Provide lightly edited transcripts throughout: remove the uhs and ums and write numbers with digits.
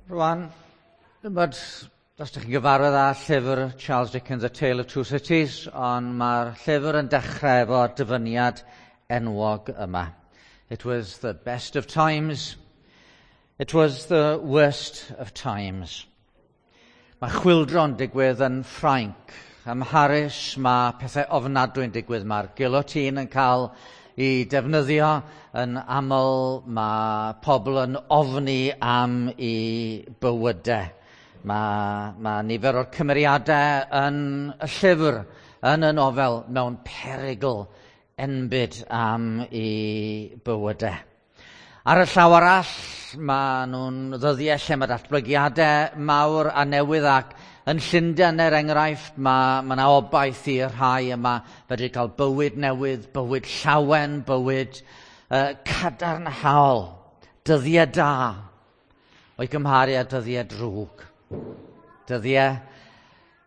Rwan, dwi'n os ydych chi'n gyfarwydd â llyfr Charles Dickens, A Tale of Two Cities, ond mae'r llyfr yn dechrau efo'r dyfyniad enwog yma. It was the best of times. It was the worst of times. Mae chwildro'n digwydd yn Ffrainc. Ym Mharis mae pethau ofnadwy'n digwydd. Mae'r guillotine yn cael ei defnyddio yn aml. Mae pobl yn ofni am eu bywydau. Mae nifer o'r cymeriadau yn y llyfr, yn y nofel, mewn perygl enbyd am eu bywydau. Ar y llaw arall, mae nhw'n ddyddiau lle mae datblygiadau mawr a newydd ac yn Llundain, er enghraifft, mae yna obaith i'r rhai yma fedru cael bywyd newydd, bywyd llawen, bywyd cadarnhaol, dyddiau da, o'i gymharu â dyddiau drwg. Dyddiau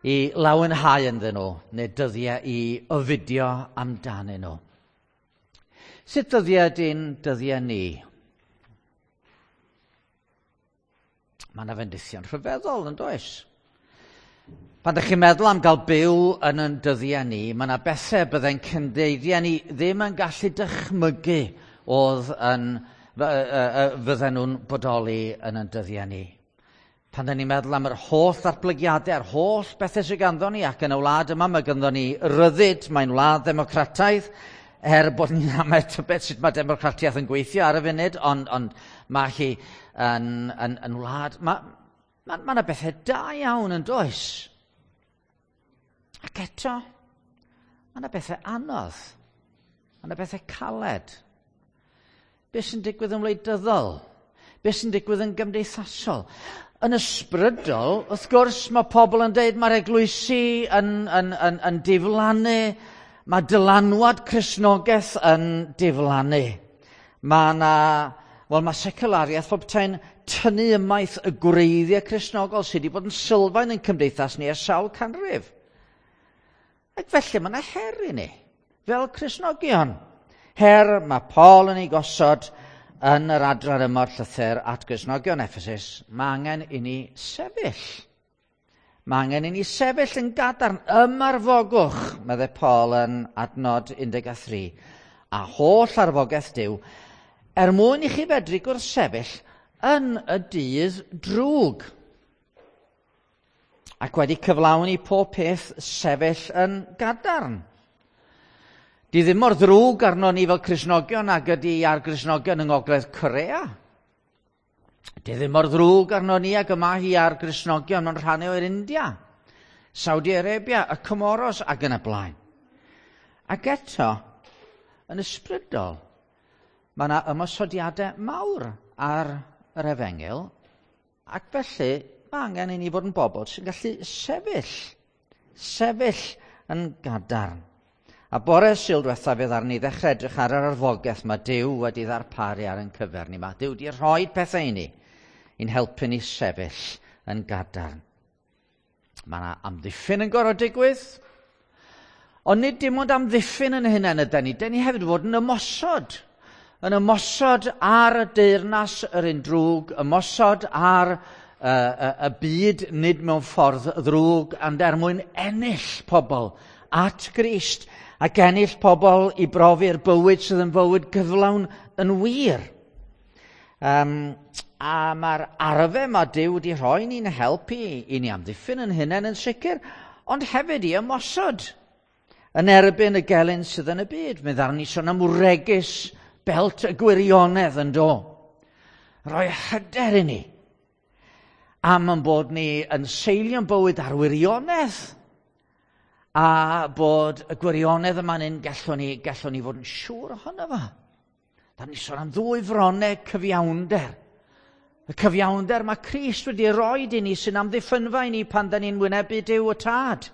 i lawenhau ynddyn nhw, neu dyddiau i ofidio amdanyn nhw. Sut dyddiau ydy'n dyddiau ni? Mae yna fendithion rhyfeddol, yn does? Pan ydych chi'n meddwl am gael byw yn ein dyddiau ni, mae yna bethau byddai'n cyndeidiau ni ddim yn gallu dychmygu oedd yn, fydden nhw'n bodoli yn ein dyddiau ni. Pan dyn ni'n meddwl am yr holl ddatblygiadau, yr holl bethau sydd ganddo ni, ac yn y wlad yma mae ganddo ni ryddid, mae'n wlad ddemocrataidd, er bod ni'n amau tybed sut mae democratiaeth yn gweithio ar y funud, ond mae hi yn wlad... Mae yna bethau da iawn yn does. Ac eto, mae yna bethau anodd. Mae yna bethau caled. Be sy'n digwydd yn wleidyddol? Be sy'n digwydd yn gymdeithasol? Yn ysbrydol, wrth gwrs, mae pobl yn deud mae'r eglwysi yn diflannu, mae dylanwad Cristnogaeth yn diflannu. Mae yna, wel, mae seculariaeth pob tai'n tynnu ymaith y gwreiddiau Cristnogol sydd wedi bod yn sylfaen yn cymdeithas ni ers sawl canrif. Ac felly mae yna her i ni, fel Cristnogion. Her mae Paul yn ei gosod yn yr adran yma o'r llythyr at Gristnogion Ephesus. Mae angen i ni sefyll. Mae angen i ni sefyll yn gadarn. Ymarfogwch, meddai Paul yn adnod 13, a holl arfogaeth Duw, er mwyn i chi fedru gwrthsefyll yn y dydd drwg. Ac wedi cyflawni pob peth sefyll yn gadarn. Di ddim mor ddrwg arno ni fel Cristnogion ag ydy ar Gristnogion yng Ngogledd Corea. Di ddim mor ddrwg arno ni ag yma hi ar Gristnogion mewn rhannau o'r India, Saudi Arabia, y Comoros ac yn y blaen. Ac eto, yn ysbrydol, mae yna ymosodiadau mawr ar yr efengyl, ac felly mae angen i ni fod yn bobl sy'n gallu sefyll yn gadarn. A bore Sul diwethaf fe ddaru ni ddechrau edrych ar yr arfogaeth mae Duw wedi ddarparu ar ein cyfer ni. Mae Duw wedi rhoi pethau i ni i'n helpu ni sefyll yn gadarn. Mae yna amddiffyn yn gorfod digwydd, ond nid dim ond amddiffyn yn hunain ydan ni. Dan ni hefyd fod yn ymosod. Yn ymosod ar y deyrnas yr un drwg, ymosod ar y byd nid mewn ffordd ddrwg, ond er mwyn ennill pobl at Grist ac ennill pobl i brofi'r bywyd sydd yn fywyd gyflawn yn wir. A mae'r arfau mae Duw wedi rhoi ni'n helpu i ni amddiffyn yn hunain yn sicr, ond hefyd i ymosod yn erbyn y gelyn sydd yn y byd. Mi ddaru ni sôn am wregys belt y gwirionedd yn do. Rhoi hyder i ni am ein bod ni yn seilio'n bywyd ar wirionedd, a bod y gwirionedd yma'n un gallwn ni fod yn siŵr ohono fo. Da ni sôn am ddwy froneg cyfiawnder. Y cyfiawnder mae Crist wedi roi i ni sy'n amddiffynfa i ni pan da ni'n wynebu Duw y Tad.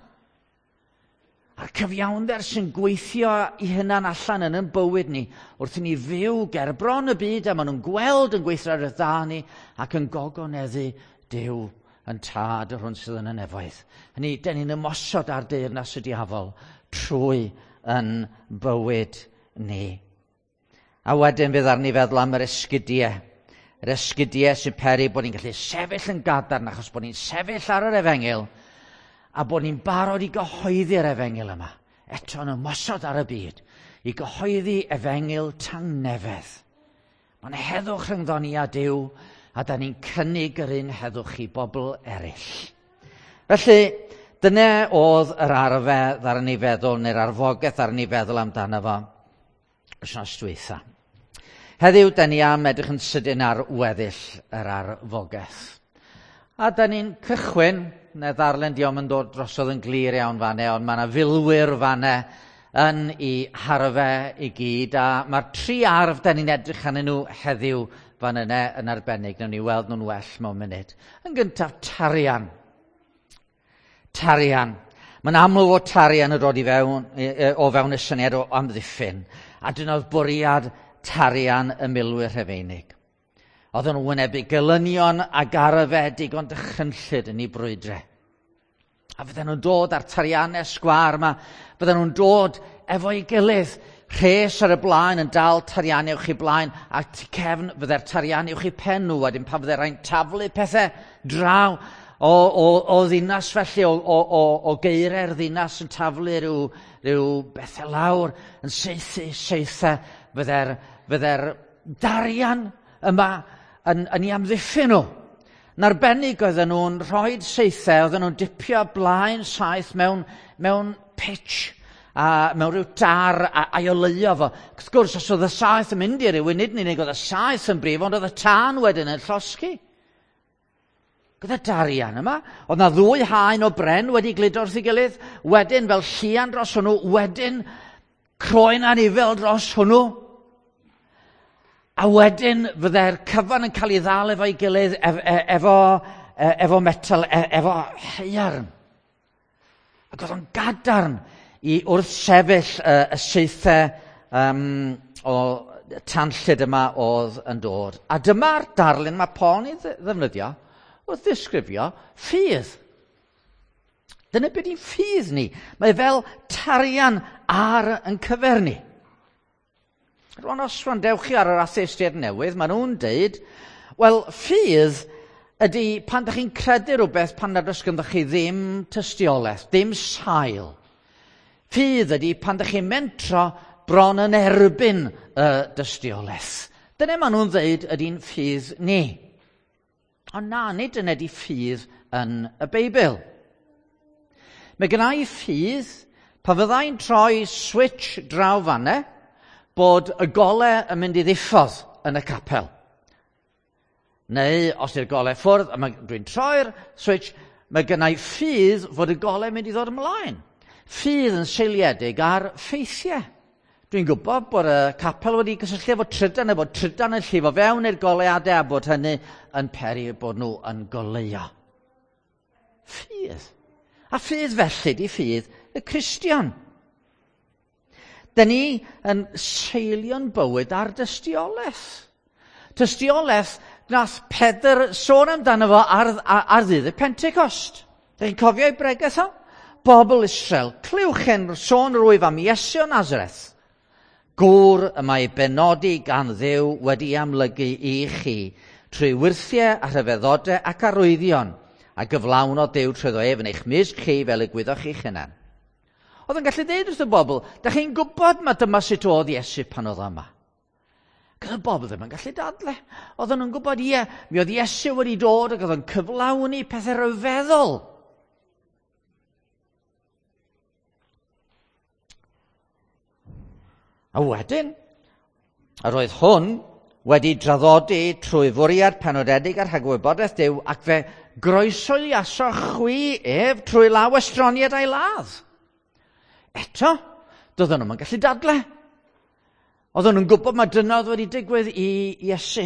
A'r cyfiawnder sy'n gweithio i hunan allan yn ein bywyd ni wrth i ni fyw ger bron y byd a maen nhw'n gweld yn gweithredoedd dda ni ac yn gogoneddu Duw yn Tad yr hwn sydd yn y nefoedd. Hynny, dan ni'n ymosod ar deyrnas y diafol trwy yn bywyd ni. A wedyn fydd arni feddwl am yr esgidiau. Yr esgidiau sy'n peri bod ni'n gallu sefyll yn gadarn achos bod ni'n sefyll ar yr efengyl a bod ni'n barod i gyhoeddi'r efengyl yma. Eto yn ymosod ar y byd i gyhoeddi efengyl tangnefedd. Mae'n heddwch rhyngddon ni a Duw, a da ni'n cynnig yr un heddwch i bobl eraill. Felly, dyna oedd yr arfer ddaru ni feddwl, neu'r arfogaeth ddaru ni feddwl amdano fo wythnos dwytha. Heddiw, da ni am edrych yn sydyn ar weddill yr arfogaeth. A da ni'n cychwyn, neu ddarllen diom yn dod drosodd yn glir iawn fanne, ond mae yna filwyr fanne yn ei harfe i gyd, a mae'r tri arf da ni'n edrych arnyn nhw heddiw fan yna yn arbennig. Nawn ni weld nhw'n well mewn munud. Yn gyntaf, tarian. Tarian. Mae'n amlwg fod tarian yn dod i fewn, o fewn y syniad o amddiffyn. A dyna oedd bwriad tarian y milwyr Rhufeinig. Oedden nhw'n wynebu gelynion ac arfau digon dychrynllyd yn eu brwydrau. A fydden nhw'n dod ar tariannau sgwâr yma, fydden nhw'n dod efo'i gilydd, rhes ar y blaen yn dal tariannau uwch eu blaen, a tu cefn fydde'r tariannau uwch eu pen nhw, wedyn pan fydde rhaid taflu pethau draw o ddinas felly, o geiriau'r ddinas yn taflu rhyw bethau lawr, yn saethu, saethau, fydde'r darian yma yn ei amddiffyn nhw. Yn arbennig oedden nhw'n rhoi saethau, oedden nhw'n dipio blaen saeth mewn pitch, a mewn rhyw dar a'i oleuo fo. Wrth gwrs, os oedd y saeth yn mynd i rywun, nid yn unig oedd y saeth yn brif, ond oedd y tân wedyn yn llosgi. Gyda darian yma, oedd na ddwy haen o bren wedi gludo wrth ei gilydd, wedyn fel llian dros hwnnw, wedyn croen anifel dros hwnnw. A wedyn fydde'r cyfan yn cael ei ddal efo'i gilydd efo metal, efo haearn. Ac oedd o'n gadarn i wrthsefyll y saethau o tanllyd yma oedd yn dod. A dyma'r darlun mae Paul yn ei ddefnyddio wrth ddisgrifio ffydd. Dyna beth y'n ffydd ni. Mae fel tarian ar yn cyfer ni. Rwan, os wrandewch chi ar yr atheistiaid newydd, maen nhw'n deud, wel, ffydd ydy pan ydych chi'n credu rhywbeth pan nad oes ganddoch chi ddim tystiolaeth, dim sail. Ffydd ydy pan ydych chi'n mentro bron yn erbyn y dystiolaeth. Dyna maen nhw'n ddeud ydy'n ffydd ni. Ond na, nid dyna ydy ffydd yn y Beibl. Mae gynna i ffydd pan fyddai'n troi switch draw fanne, bod y gole yn mynd i ddiffodd yn y capel. Neu, os yw'r gole ffwrdd, a dwi'n troi'r switch, mae gynna i ffydd fod y gole yn mynd i ddod ymlaen. Ffydd yn seiliedig ar ffeithiau. Dwi'n gwybod bod y capel wedi gysylltu efo trydan, a bod trydan yn llifo fewn i'r goleadau, a bod hynny yn peri bod nhw yn goleuo. Ffydd. A ffydd felly di ffydd y Cristion. Dyn ni yn seilio'n bywyd ar dystiolaeth. Tystiolaeth nath Pedr sôn amdano fo ar ddydd y Pentecost. Dych chi'n cofio ei bregeth o? Bobl Israel, clywch hen sôn rwyf am Iesu o Nazareth. Gŵr y mae benodi gan Dduw wedi amlygu i chi trwy wyrthiau a rhyfeddodau ac arwyddion a gyflawnodd Duw trwyddo ef yn eich mysg chi fel y gwyddoch chi'ch hunan. Oedd yn gallu dweud wrth y bobl, da chi'n gwybod ma dyma sut oedd Iesu pan oedd yma. Ac oedd y bobl ddim yn gallu dadle. Oedden nhw'n gwybod, ie, mi oedd Iesu wedi dod ac oedd yn cyflawni pethau rhyfeddol. A wedyn, yr oedd hwn wedi draddodi trwy fwriad penodedig ar rhagwybodaeth Duw ac fe groesoiasoch chwi ef trwy law estroniad a'i ladd. Eto, doedden nhw'm yn gallu dadle. Oedden nhw'n gwybod mae dyna oedd wedi digwydd i Iesu.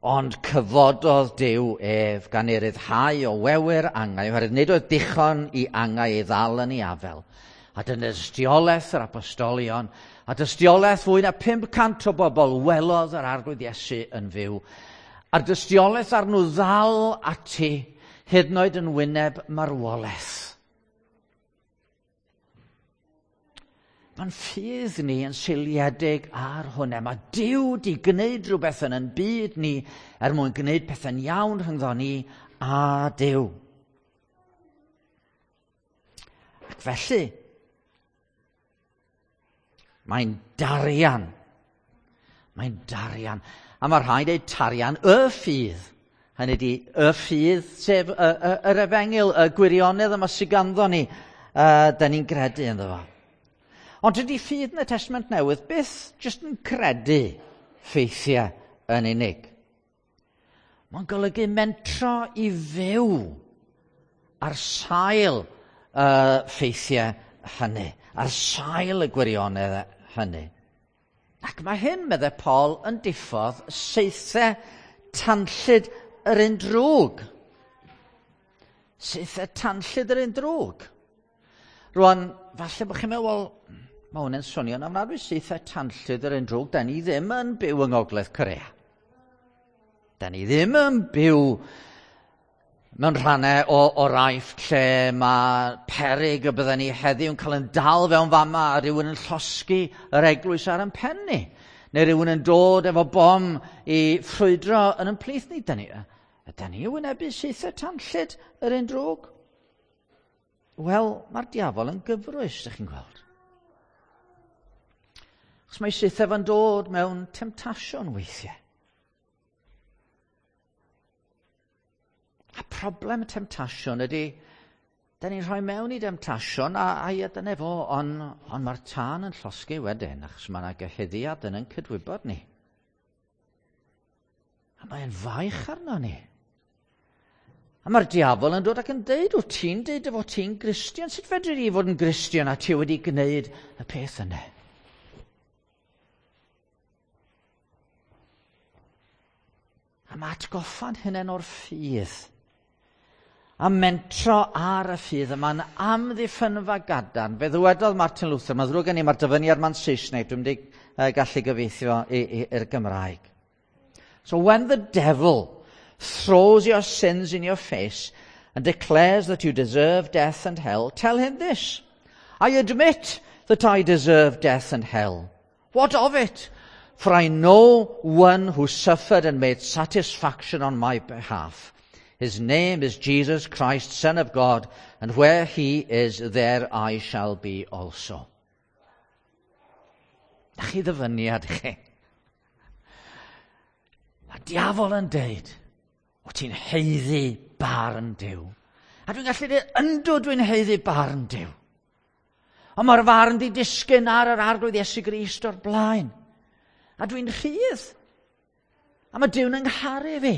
Ond cyfododd Duw ef gan ei ryddhau o wewyr angau, oherwydd nid oedd dichon i angau ei ddal yn ei afel. A dyna dystiolaeth yr apostolion, a dystiolaeth fwy na 500 o bobl welodd yr Arglwydd Iesu yn fyw. A'r dystiolaeth arnw ddal ati, hyd yn oed yn wyneb marwolaeth. Mae'n ffydd ni yn seiliedig ar hwnna. Mae Duw di gwneud rhywbeth yn ein byd ni er mwyn gwneud pethau'n iawn rhyngddo ni a Duw. Ac felly, mae'n darian. Mae'n darian. A mae rhaid ei tarian y ffydd. Hynny ydi, y ffydd, sef yr efengyl, y gwirionedd yma sydd ganddo ni, da ni'n gredu ynddo fo. Ond dydy ffydd yn y Testament Newydd byth jyst yn credu ffeithiau yn unig. Mae'n golygu mentro i fyw ar sail y ffeithiau hynny, ar sail y gwirionedd hynny. Ac mae hyn, meddai Paul, yn diffodd saethau tanllyd yr un drwg. Saethau tanllyd yr un drwg. Rwan, falle bod chi'n meddwl, wel, mae hwn yn swnio'n ofnadwy, saethau tanllyd yr un drwg. Da ni ddim yn byw yng Ngogledd Corea. Da ni ddim yn byw mewn rhannau o'r Aifft lle mae peryg y bydden ni heddiw yn cael yn dal fewn fama a rhywun yn llosgi yr eglwys ar ein pen ni. Neu rhywun yn dod efo bom i ffrwydro yn ein plith ni. Da ni wynebu saethau tanllyd yr un drwg? Wel, mae'r diafol yn gyfrwys, ydych chi'n gweld. Achos mae saethau fo'n dod mewn temtasiwn weithiau. A problem y temtasiwn ydy, da ni'n rhoi mewn i demtasiwn, a ia, dyna fo, ond on mae'r tân yn llosgi wedyn, achos mae yna gyhuddiad yn ein cydwybod ni. A mae'n faich arno ni. A mae'r diafol yn dod ac yn deud, wyt ti'n deud dy fod ti'n Gristion? Sut fedri di fod yn Gristion a ti wedi gwneud y peth yna? A mae atgoffa'n hunain o'r ffydd. A mentro ar y ffydd yma'n amddiffynfa gadarn. Fe ddywedodd Martin Luther, mae'n ddrwg gen i, mae'r dyfyniad ma'n Saesneg, dwi'n mynd i gallu gyfieithio i'r Gymraeg. So when the devil throws your sins in your face and declares that you deserve death and hell, tell him this: I admit that I deserve death and hell. What of it? For I know one who suffered and made satisfaction on my behalf. His name is Jesus Christ, Son of God, and where he is, there I shall be also. Na chi ddyfyniad chi. Mae diafol yn deud, o ti'n haeddu barn Duw. A dwi'n gallu dweud, yndw dwi'n haeddu barn Duw. Ond mae'r farn di disgyn ar yr Arglwydd Iesu Grist o'r blaen. A dwi'n rhydd. A mae Duw'n yngharu fi.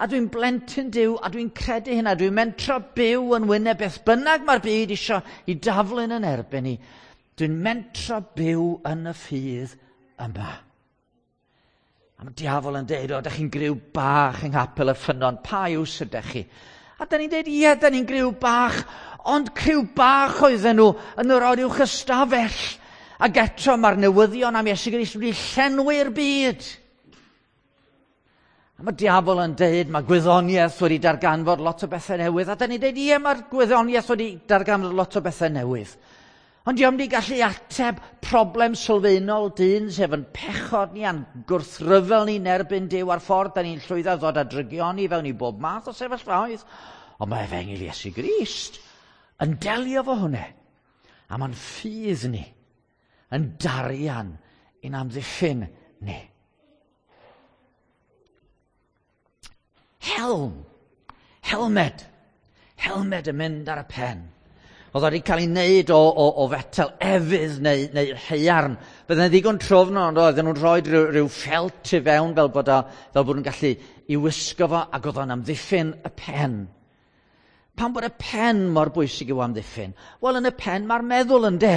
A dwi'n blentyn Duw, a dwi'n credu hynna. Dwi'n mentro byw yn wyneb beth bynnag mae'r byd isio i daflu'n yn erbyn i. Dwi'n mentro byw yn y ffydd yma. A mae diafol yn deud, o, da chi'n griw bach yng Nghapel y Ffynnon, pa iws ydych chi? A da ni'n deud, ie, da ni'n griw bach, ond criw bach oedden nhw yn yr oruwch ystafell. Ac eto mae'r newyddion am Iesu Grist wedi llenwi'r byd. A mae diafol yn deud, mae gwyddoniaeth wedi darganfod lot o bethau newydd. A da ni'n deud, ie, mae'r gwyddoniaeth wedi darganfod lot o bethau newydd. Ond diolch wedi gallu ateb problem sylfaenol dyn, sef yn pechod ni a'n gwrthryfel ni erbyn Duw a'r ffordd da ni'n llwyddo ddod â drygioni fewn i bob math o sefyllfaoedd. Ond mae efengyl Iesu Grist yn delio fo hwnna. A mae'n ffydd ni yn darian i'n amddiffyn ni. Helm, helmed, helmed yn mynd ar y pen. Oedd wedi cael ei wneud o fetel efydd neu haearn. Bydde'n ddigon trwfn, ond oedden nhw'n rhoi rhyw ffelt i fewn fel bod nhw'n gallu i wisgo fo, ac oedd o'n amddiffyn y pen. Pam bod y pen mor bwysig i'w amddiffyn? Wel, yn y pen mae'r meddwl yn de.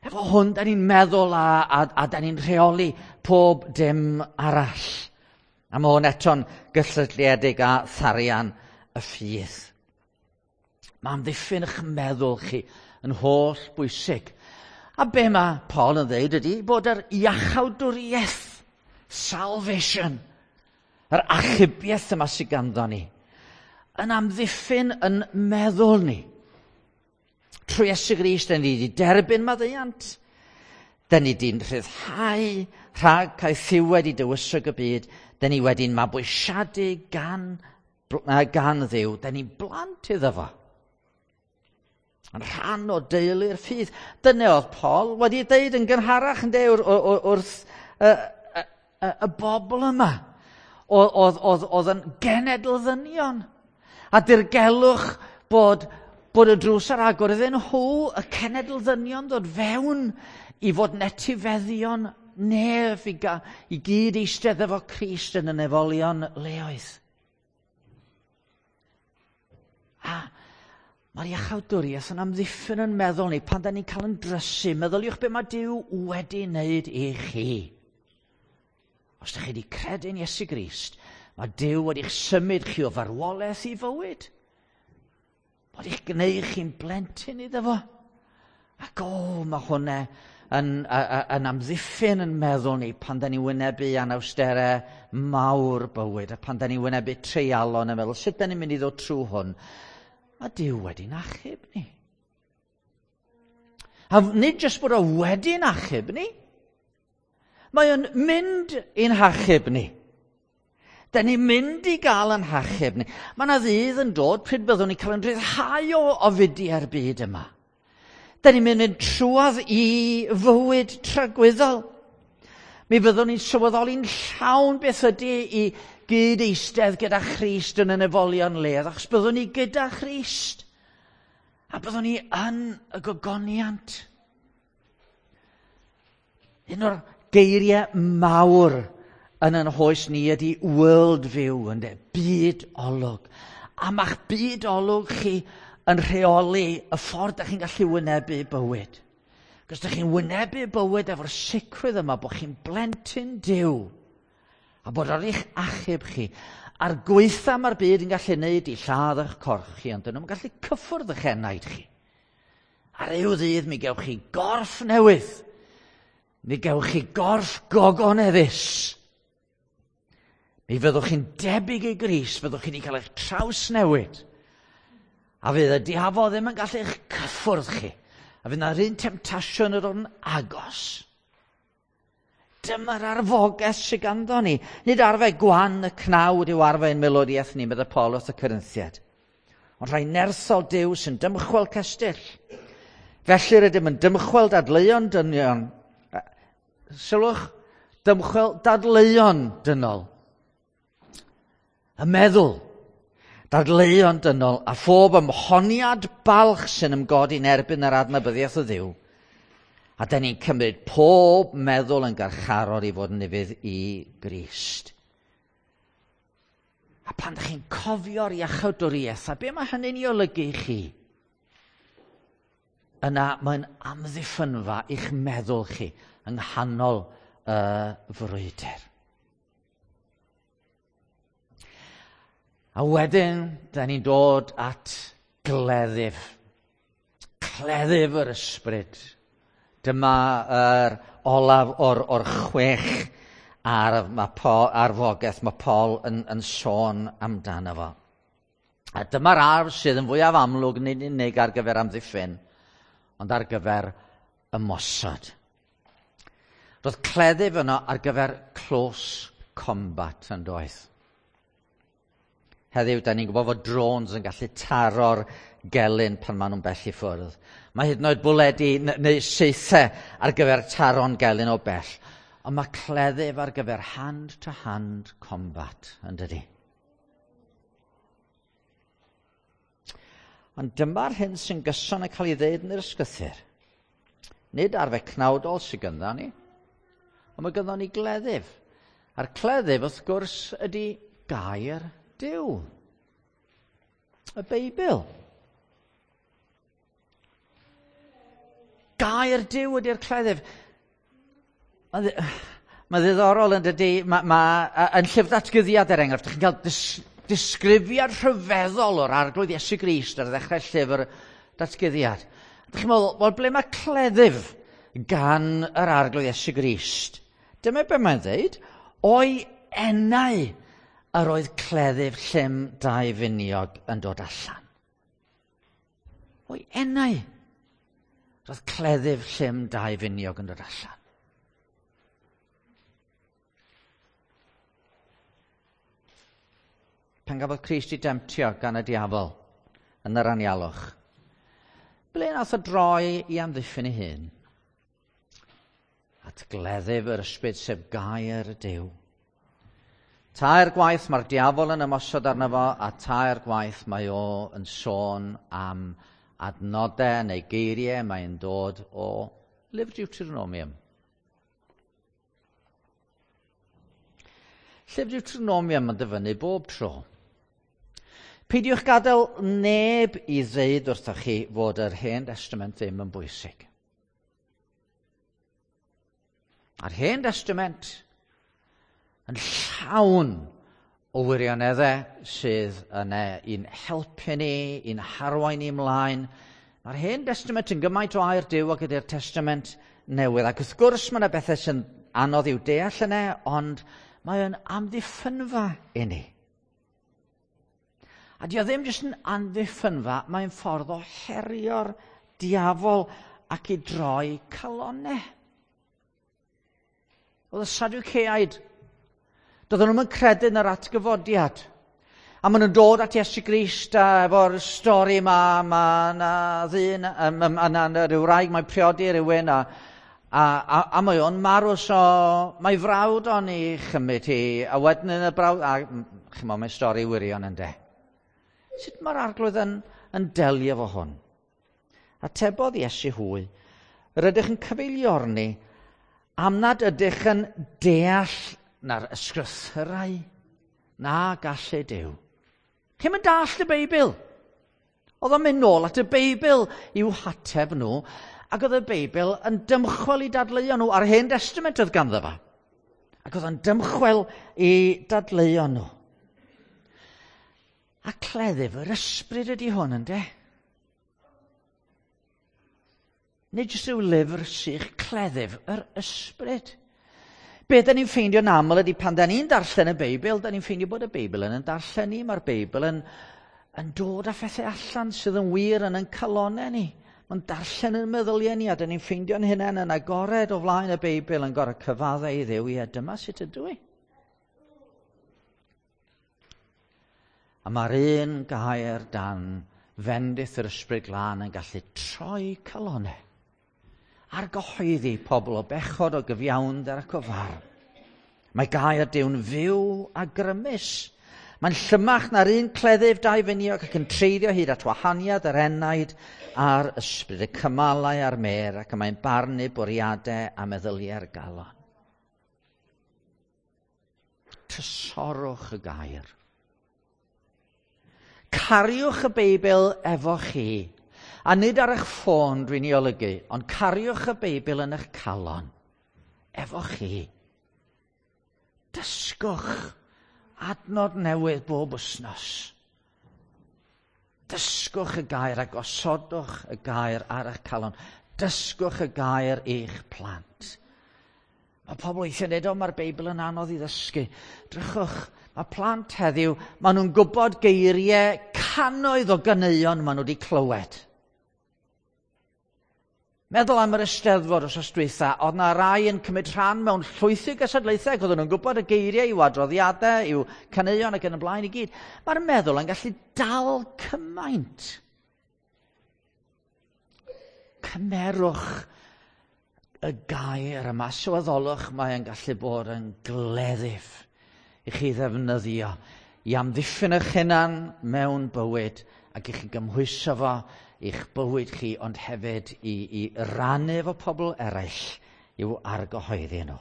Efo hwn, da ni'n meddwl a da ni'n rheoli pob dim arall. A mae hwn eto'n gysylltiedig â tharian y ffydd. Mae amddiffyn eich meddwl chi yn holl bwysig. A be mae Paul yn dweud ydy bod yr iachawdwriaeth, salvation, yr achubiaeth yma sydd ganddo ni, yn amddiffyn yn meddwl ni. Trwy Iesu Grist, da ni wedi derbyn maddeuant. Da ni wedi'n rhyddhau rhag caethiwed i dywysog y byd. Da ni wedi'n mabwysiadu gan Dduw. Da ni'n blant iddo fo. Yn rhan o deulu'r ffydd. Dyna oedd Paul wedi deud yn gynharach yn deud wrth y bobl yma. Oedd yn genedl ddynion. A dirgelwch bod y drws ar agor iddyn nhw, y cenedl ddynion, ddod fewn i fod yn etifeddion nef i gyd eistedd efo Crist yn y nefolion leoedd. A mae'r iachawdwriaeth yn amddiffyn yn meddwl ni pan da ni'n cael yn drysu. Meddyliwch be mae Duw wedi wneud i chi. Os ydych chi wedi credu'n Iesu Grist, mae Duw wedi'ch symud chi o farwolaeth i fywyd. Wedi'ch gwneud chi'n blentyn iddo fo. Ac o, mae hwnna yn amddiffyn yn meddwl ni pan da ni'n wynebu anawsterau mawr bywyd a pan da ni'n wynebu treialon yn meddwl, sut da ni'n mynd i ddod trwy hwn? Mae Duw wedi'n achub ni. A nid jyst bod o wedi'n achub ni, mae o'n mynd i'n hachub ni. Da ni'n mynd i gael yn hachub ni. Mae yna ddydd yn dod pryd byddwn ni'n cael yn rhyddhau o ofidiau'r byd yma. Da ni'n mynd trwadd i fywyd tragwyddol. Mi fyddwn ni'n sylweddoli'n llawn beth ydy i gyd eistedd gyda Christ yn y nefolion ledd, achos byddwn ni gyda Christ. A byddwn ni yn y gogoniant. Un o'r geiriau mawr yn yn hoes ni ydy world view, ynde? Byd olwg. A ma'ch byd olwg chi yn rheoli y ffordd da chi'n gallu wynebu bywyd. Cos da chi'n wynebu bywyd efo'r sicrwydd yma bod chi'n blentyn Duw a bod ar eich achub chi. A'r gweitha mae'r byd yn gallu wneud i lladd eich corff chi, ond dyn nhw'n gallu cyffwrdd eich enaid chi. Ar ryw ddydd mi gewch chi gorff newydd. Mi gewch chi gorff gogoneddus. Mi fyddwch chi'n debyg i Grist, fyddwch chi wedi cael eich trawsnewid. A fydd y diafol ddim yn gallu eich cyffwrdd chi. A fydd na'r un temtasiwn yn dod yn agos. Dyma'r arfogaeth sydd ganddo ni. Nid arfau gwan y cnawd yw arfau ein milwriaeth ni, meddai Paul wrth y Corinthiaid. Ond rhai nerthol Duw sy'n dymchwel cestyll. Felly rydym yn dymchwel dadleuon dynion. Sylwch, dymchwel dadleuon dynol. Y meddwl, dadleuon dynol a phob ymhoniad balch sy'n ymgodi yn erbyn yr adnabyddiaeth o Dduw. A da ni'n cymryd pob meddwl yn garcharor i fod yn ufudd i Grist. A pan ydych chi'n cofio'r iachawdwriaeth, a be mae hynny'n ei olygu i chi? Yna mae'n amddiffynfa i'ch meddwl chi yng nghanol y frwydr. A wedyn, da ni'n dod at gleddyf. Cleddyf yr ysbryd. Dyma yr olaf o'r 6 arf mae Paul, arfogaeth mae Paul yn sôn amdano fo. A dyma'r arf sydd yn fwyaf amlwg nid unig ar gyfer amddiffyn, ond ar gyfer ymosod. Roedd cleddyf yno ar gyfer close combat yn doedd. Heddiw, da ni'n gwybod fod drones yn gallu taro'r gelyn pan maen nhw'n bell i ffwrdd. Mae hyd yn oed bwledi neu saethau ar gyfer taro'n gelyn o bell. Ond mae cleddyf ar gyfer hand-to-hand combat, yn dydi? Ond dyma'r hyn sy'n gyson yn cael ei ddeud yn yr ysgrythur. Nid arfau cnawdol sydd ganddo ni, ond mae ganddo ni gleddyf. A'r cleddyf, wrth gwrs, ydy gair Duw. Y Beibl. Gair Duw ydy'r cleddyf. Mae ddiddorol yn dydy, yn llyfr Datguddiad er enghraifft, chi'n cael disgrifiad rhyfeddol o'r Arglwydd Iesu Grist ar ddechrau llyfr Datguddiad. Dych chi'n meddwl, wel, ble mae cleddyf gan yr Arglwydd Iesu Grist? Dyma be mae'n dweud, o'i enau yr oedd cleddyf llym dau finiog yn dod allan. O'i enau. Roedd cleddyf llym dau finiog yn dod allan. Pan gafodd Crist i demtio gan y diafol yn yr anialwch, ble nath o droi i amddiffyn ei hun? At gleddyf yr ysbryd, sef gair y Duw. Tair gwaith mae'r diafol yn ymosod arno fo, a tair gwaith mae o yn sôn am adnodau neu geiriau mae'n dod o Lyfr Deuteronomium. Llyfr Deuteronomium yn dyfynnu bob tro. Peidiwch gadael neb i ddeud wrthoch chi fod yr Hen Testament ddim yn bwysig. A'r Hen Testament yn llawn o wirioneddau sydd yn i'n helpu ni, i'n harwain ni ymlaen. Mae'r Hen Testament yn gymaint o air Duw ag ydy'r Testament Newydd. Ac wrth gwrs mae yna bethau sy'n anodd i'w deall yna, ond mae o'n amddiffynfa i ni. A di o ddim jyst yn amddiffynfa, mae'n ffordd o herio'r diafol ac i droi calonau. Oedd y Sadwceaid, doedden nhw'n credu yn yr atgyfodiad. A maen nhw'n dod at Iesu Grist a efo'r stori yma, mae yna ddyn, a na rhyw wraig, mae'n priodi rhywun, a mae o'n marw, so mae frawd o'n i chymryd hi, a wedyn yn y brawd, a chymod, mae'n stori wirion ynde. Sut mae'r Arglwydd yn delio efo hwn? Atebodd Iesu hwy, rydych yn cyfeiliorni am nad ydych yn deall na'r ysgrythyrau na gallu Duw. Chi'm yn dallt y Beibl. Oedd o'n mynd nôl at y Beibl i'w hateb nhw, ac oedd y Beibl yn dymchwel i dadleuon nhw, a'r Hen Testament oedd ganddo fo. Ac oedd o'n dymchwel i dadleuon nhw. A cleddyf yr ysbryd ydy hwn, ynde? Nid jyst rhyw lyfr sych, cleddyf yr ysbryd. Be da ni'n ffeindio'n aml ydy pan da ni'n darllen y Beibl, da ni'n ffeindio bod y Beibl yn darllen ni. Mae'r Beibl yn dod â phethau allan sydd yn wir yn ein calonau ni. Mae'n darllen yn meddyliau ni, a da ni'n ffeindio'n hunain yn agored o flaen y Beibl yn gorfod cyfaddau i Dduw, ie, dyma sut ydw i. A mae'r un gair dan fendith yr Ysbryd Glân yn gallu troi calonau ar gyhoeddi pobl o bechod, o gyfiawnder ac o farn. Mae gair Duw'n fyw a grymus. Mae'n llymach na'r un cleddyf dau finiog ac yn treiddio hyd at wahaniad yr enaid a'r ysbryd, y cymalau a'r mêr, ac mae'n barnu bwriadau a meddyliau'r galon. Trysorwch y gair. Cariwch y Beibl efo chi. A nid ar eich ffôn dwi'n ei olygu, ond cariwch y Beibl yn eich calon. Efo chi. Dysgwch adnod newydd bob wythnos. Dysgwch y gair a gosodwch y gair ar eich calon. Dysgwch y gair i'ch plant. Mae pobl weithiau'n dweud, o, mae'r Beibl yn anodd i ddysgu. Drychwch, mae plant heddiw, maen nhw'n gwybod geiriau cannoedd o ganeuon maen nhw wedi clywed. Meddwl am yr Eisteddfod wsos dwytha, oedd na rai yn cymryd rhan mewn llwythi gystadlaethau, ac oedden nhw'n gwybod y geiriau i'w adroddiadau, i'w caneuon ac yn y blaen i gyd. Mae'r meddwl yn gallu dal cymaint. Cymerwch y gair yma, sylweddolwch mae yn gallu bod yn gleddyf i chi ddefnyddio i amddiffyn eich hunan mewn bywyd ac i chi gymhwyso fo i'ch bywyd chi, ond hefyd i rannu efo pobl eraill i'w argyhoeddi nhw.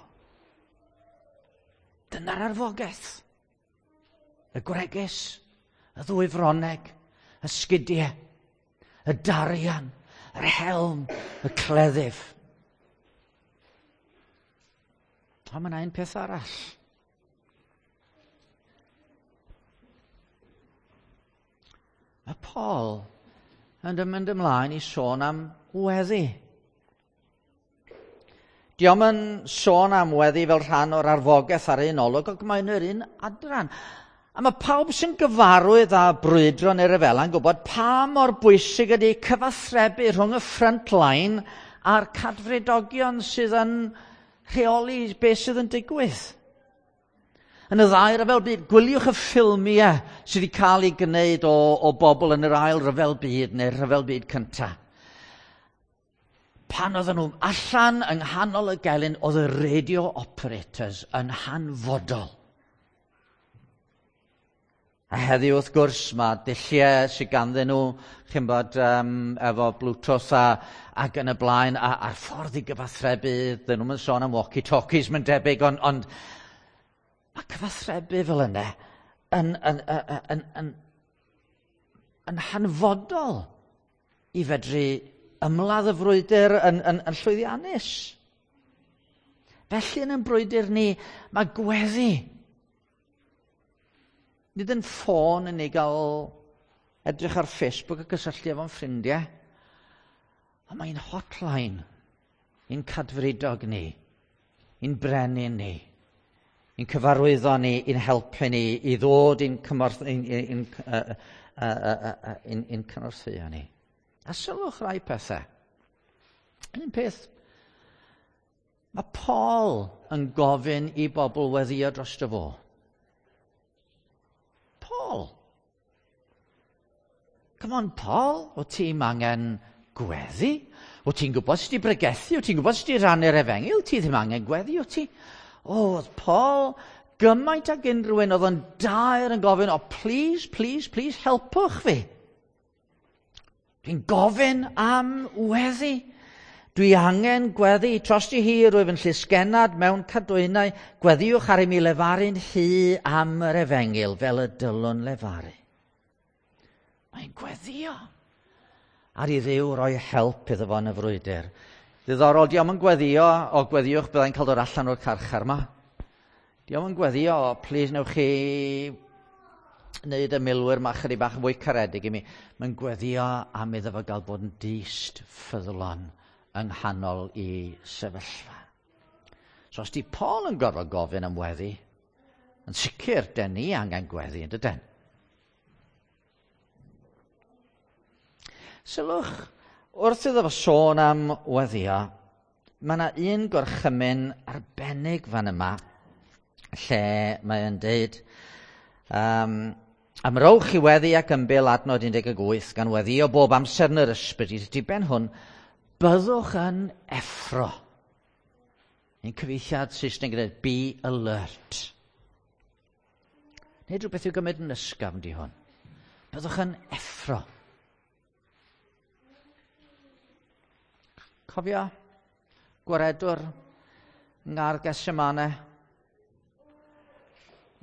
Dyna'r arfogaeth. Y gwregys, y ddwy froneg, y sgidiau, y darian, yr helm, y cleddyf. Ond mae yna un peth arall. Mae Paul yn mynd ymlaen i sôn am weddi. Dio'm yn sôn am weddi fel rhan o'r arfogaeth ar un olwg, ac mae'n yr un adran. A mae pawb sy'n gyfarwydd â brwydro neu ryfela yn gwybod pa mor bwysig ydy cyfathrebu rhwng y front line a'r cadfridogion sydd yn rheoli beth sydd yn digwydd. Yn y ddau ryfel byd, gwyliwch y ffilmiau sydd wedi cael ei gwneud o bobl yn yr ail ryfel byd neu'r rhyfel byd cyntaf. Pan oedden nhw allan yng nghanol y gelyn, oedd y radio operators yn hanfodol. A heddiw, wrth gwrs, mae dulliau sydd ganddyn nhw, chi'n bod, efo Bluetooth ac yn y blaen, a'r ffordd i gyfathrebu, dyn nhw'n sôn am walkie-talkies, mae'n debyg, ond mae cyfathrebu fel yna yn hanfodol i fedru ymladd y frwydr yn llwyddiannus. Felly yn ein brwydr ni, mae gweddi. Nid yn ffôn yn ei gael edrych ar Facebook a gysylltu efo'n ffrindiau. Ond mae'n hotline i'n cadfridog ni, i'n brenin ni, i'n cyfarwyddo ni, i'n helpu ni, i ddod i'n cymorth, i'n cynorthwyo ni. A sylwch rai pethau. Un peth, mae Paul yn gofyn i bobl weddio drosto fo. Paul. Come on, Paul, o ti'n angen gweddi? O ti'n gwybod sut i bregethu? O ti'n gwybod sut i rannu'r efengyl? Ti ddim angen gweddi, o ti? O, oedd Paul gymaint ag unrhyw un oedd yn daer yn gofyn, o, please, please, please, helpwch fi. Dwi'n gofyn am weddi. Dwi angen gweddi. Trosti hi rwyf yn llysgennad mewn cadwynau. Gweddiwch ar i mi lefaru'n hy am yr efengyl fel y dylwn lefaru. Mae'n gweddio ar i Dduw roi help iddo fo yn y frwydr. Ddiddorol, diom yn gweddio, o gweddiwch byddai'n cael dod allan o'r carchar yma. Diom yn gweddio, o, please newch chi wneud y milwyr yma chydig bach yn fwy caredig i mi. Mae'n gweddio am iddo fo gael bod yn dyst ffyddlon yng nghanol i sefyllfa. So os di Paul yn gorfod gofyn am weddi, yn sicr, den ni angen gweddi, yn dyden? Sylwch, wrth iddo fo sôn am weddio, mae yna un gorchymyn arbennig fan yma, lle mae'n deud, amrowch i weddi ac ymbil adnod 18, gan weddio bob amser yn yr ysbryd, i'r diben hwn, byddwch yn effro. Un cyfieithiad Saesneg yn dweud, be alert. Nid rhywbeth i'w gymryd yn ysgafn di hwn. Byddwch yn effro. Cofio gwaredwr ngar Gethsemane.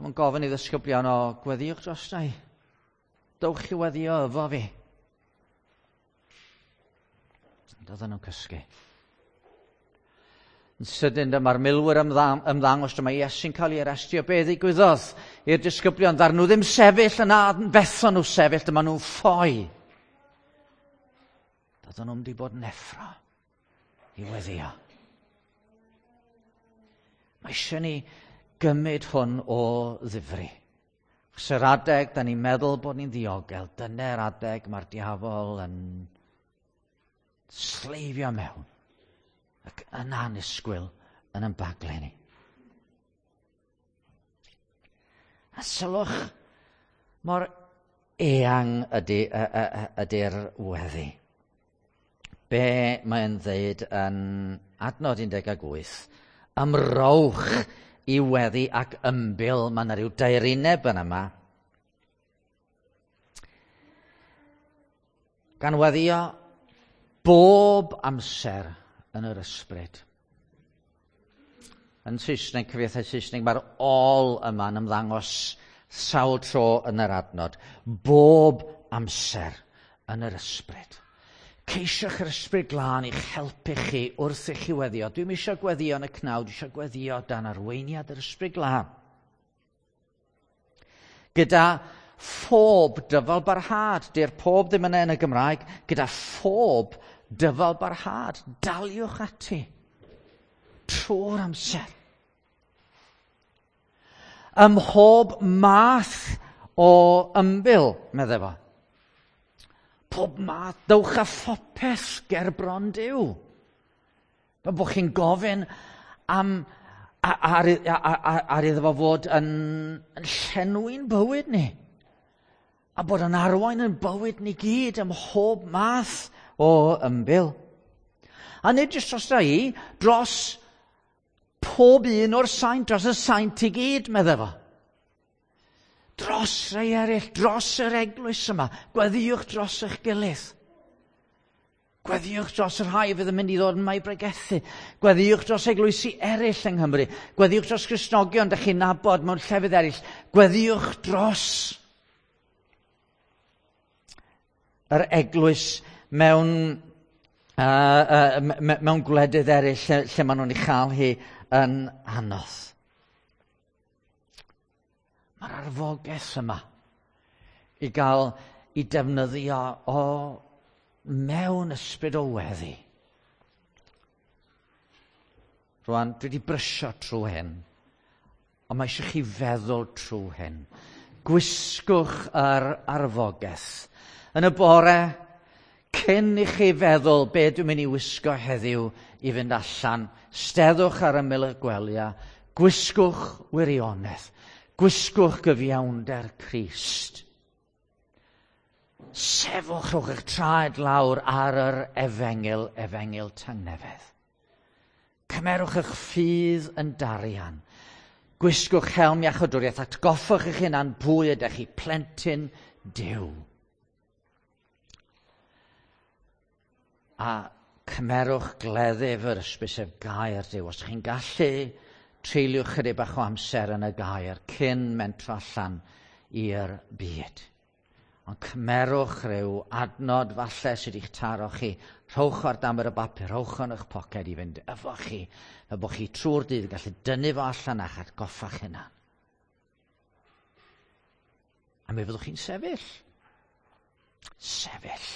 Mae'n gofyn i ddisgyblion o gweddiwch drosta i. Dowch i weddio efo fi. Doedden nhw'n cysgu. Yn sydyn dyma'r milwyr ymddangos, dyma Iesu'n cael ei arestio. Be ddigwyddodd i'r disgyblion? Ddaru nhw ddim sefyll yna, fethon nhw sefyll, dyma nhw'n ffoi. Doedden nhw'n wedi bod yn effro i weddio. Mae eisiau ni gymryd hwn o ddifri. Achos yr adeg, da ni'n meddwl bod ni'n ddiogel, dyna'r adeg mae'r diafol yn sleifio mewn ac yn annisgwyl yn ymbagle ni. A sylwch mor eang ydy'r weddi. Be mae'n ddeud yn adnod 18, ymrowch i weddi ac ymbil, mae yna rhyw daerineb yn yma. Gan weddio bob amser yn yr ysbryd. Yn Saesneg, cyfieithiad Saesneg, mae'r all yma'n ymddangos sawl tro yn yr adnod. Bob amser yn yr ysbryd. Ceisiwch yr ysbryd glân i'ch helpu chi wrth i chi weddio. Dwi'm eisiau gweddio yn y cnawd, dwi eisiau gweddio dan arweiniad yr ysbryd glân. Gyda phob dyfal barhad, di'r pob ddim yna yn y Gymraeg, gyda phob dyfal barhad, daliwch ati trwy'r amser. Ym mhob math o ymbil, meddai fo. Pob math, dewch â phopeth ger bron Duw. Fel bod chi'n gofyn am ar, ar, ar iddo fo fod yn llenwi'n bywyd ni. A bod yn arwain yn bywyd ni gyd ym mhob math o ymbil. A nid jyst dros i, dros pob un o'r saint, dros y saint i gyd, meddai fo. Dros rhai eraill, dros yr eglwys yma. Gweddïwch dros eich gilydd. Gweddïwch dros y rhai fydd yn mynd i ddod yma i bregethu. Gweddïwch dros eglwysi eraill yng Nghymru. Gweddïwch dros Gristnogion dych chi'n nabod mewn llefydd eraill. Gweddïwch dros yr eglwys mewn gwledydd eraill lle maen nhw'n ei chael hi yn anodd. Mae'r arfogaeth yma i gael i defnyddio o mewn ysbryd o weddi. Rwan, dwi wedi brysio trwy hyn, ond mae eisiau chi feddwl trwy hyn. Gwisgwch yr arfogaeth. Yn y bore, cyn i chi feddwl be dwi'n mynd i wisgo heddiw i fynd allan, steddwch ar ymyl y gwelyau, gwisgwch wirionedd, gwisgwch gyfiawnder Crist. Sefwch, rhowch eich traed lawr ar yr efengyl, efengyl tangnefedd. Cymerwch eich ffydd yn darian. Gwisgwch helm iachawdwriaeth, atgoffwch eich hunan pwy ydych chi, plentyn Duw. A cymerwch gleddyf yr ysbryd, sef gair Duw. Os ydych chi'n gallu, treuliwch chydig bach o amser yn y gair cyn mentro allan i'r byd. Ond cymerwch rhyw adnod falle sydd wedi'ch taro chi. Rhowch ar dan y bapur, rhowch yn eich poced i fynd efo chi, fel bod chi trwy'r dydd yn gallu dynnu fo allan a'ch atgoffa'ch hunan. A mi fyddwch chi'n sefyll. Sefyll.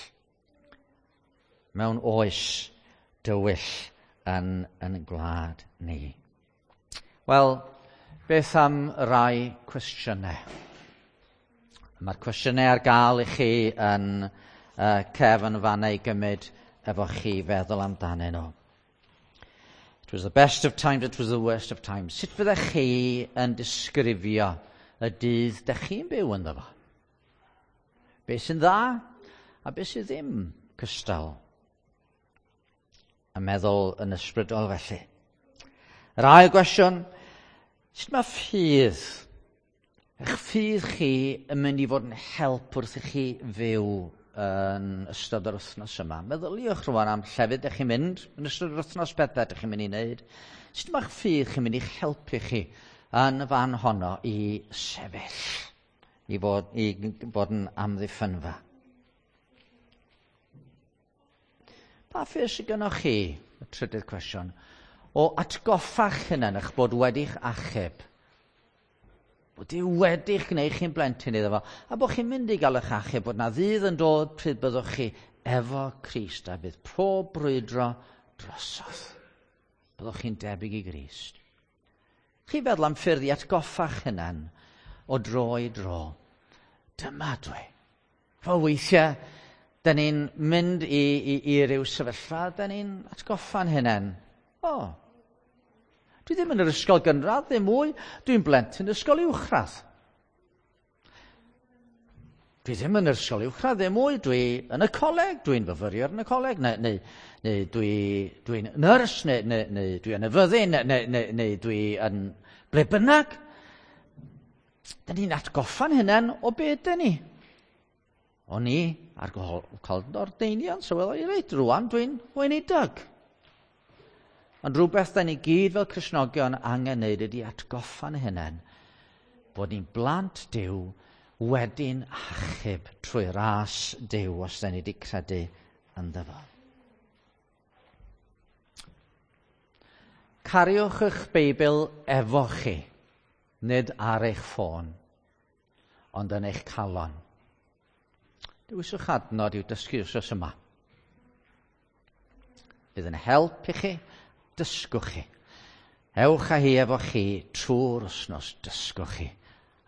Mewn oes dywyll yn gwlad ni. Wel, beth am rai cwestiynau? Mae'r cwestiynau ar gael i chi yn cefn fanna i gymryd efo chi feddwl amdanyn nhw. It was the best of times, it was the worst of times. Sut fyddech chi yn disgrifio y dydd dych chi'n byw ynddo fo? Be sy'n dda a be sydd ddim cystal? A meddwl yn ysbrydol felly. Yr ail gwestiwn, sut mae ffydd, eich ffydd chi yn mynd i fod yn help wrth i chi fyw yn ystod yr wythnos yma? Meddyliwch rwan am llefydd ydych chi'n mynd yn ystod yr wythnos, bethau ydych chi'n mynd i wneud. Sut mae'ch ffydd chi'n mynd i'ch helpu chi yn y fan honno i sefyll, i fod yn amddiffynfa? Pa ffydd sydd gennych chi? Y trydydd cwestiwn. O atgoffa'ch hunan eich bod wedi'ch achub. Bod Duw wedi'ch gwneud chi'n blentyn iddo fo. A bod chi'n mynd i gael eich achub, bod na ddydd yn dod pryd byddwch chi efo Crist a bydd pob brwydro drosodd. Byddwch chi'n debyg i Grist. Chi feddwl am ffyrdd i atgoffa'ch hunan o dro i dro. Dyma dwi. Fel weithiau, da ni'n mynd i ryw sefyllfa, da ni'n atgoffa'n hunain. O, dwi ddim yn yr ysgol gynradd, ddim mwy. Dwi'n blentyn ysgol uwchradd. Dwi ddim yn yr ysgol uwchradd, ddim mwy. Dwi yn y coleg, dwi'n fyfyriwr yn y coleg, neu dwi'n nyrs, neu dwi yn y fyddin, neu dwi yn ble bynnag. Da ni'n atgoffa'n hunain o beth dyn ni. O'n i ar cael ordeiniad, sylweddoli, reit, rwan dwi'n weinidog. Ond rhywbeth da ni gyd fel Cristnogion angen wneud ydy atgoffa'n hunain bod ni'n blant Duw wedi'n achub trwy ras Duw os da ni wedi credu ynddo fo. Cariwch eich Beibl efo chi, nid ar eich ffôn, ond yn eich calon. Dewiswch adnod i'w dysgu wrthos yma. Bydd yn help i chi, dysgwch chi. Ewch â hi efo chi trwy'r wythnos, dysgwch chi.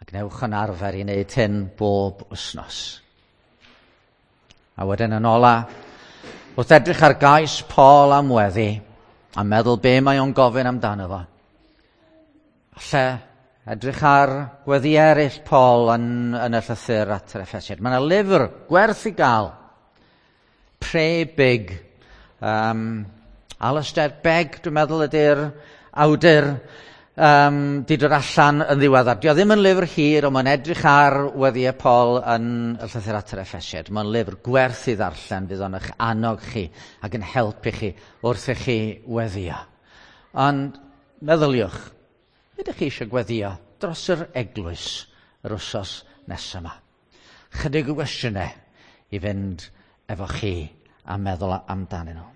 A gnewch yn arfer i wneud hyn bob wythnos. A wedyn yn ola, wrth edrych ar gais Paul am weddi, a meddwl be mae o'n gofyn amdano fo, falle edrych ar gweddi eraill Paul yn y llythyr at yr Effesiaid. Mae yna lyfr gwerth i gael. Pray Big. Alistair Begg, dwi'n meddwl, ydy'r awdur di dod allan yn ddiweddar. Dio ddim yn lyfr hir, ond mae'n edrych ar weddiau Paul yn y llythyr at yr Effesiaid. Mae'n lyfr gwerth i ddarllen, fydd o'n eich annog chi ac yn helpu chi wrth i chi weddio. Ond meddyliwch, ydych chi eisiau gweddio dros yr eglwys yr wsos nesaf yma? Chydig o gwestiynau i fynd efo chi a meddwl amdanyn nhw.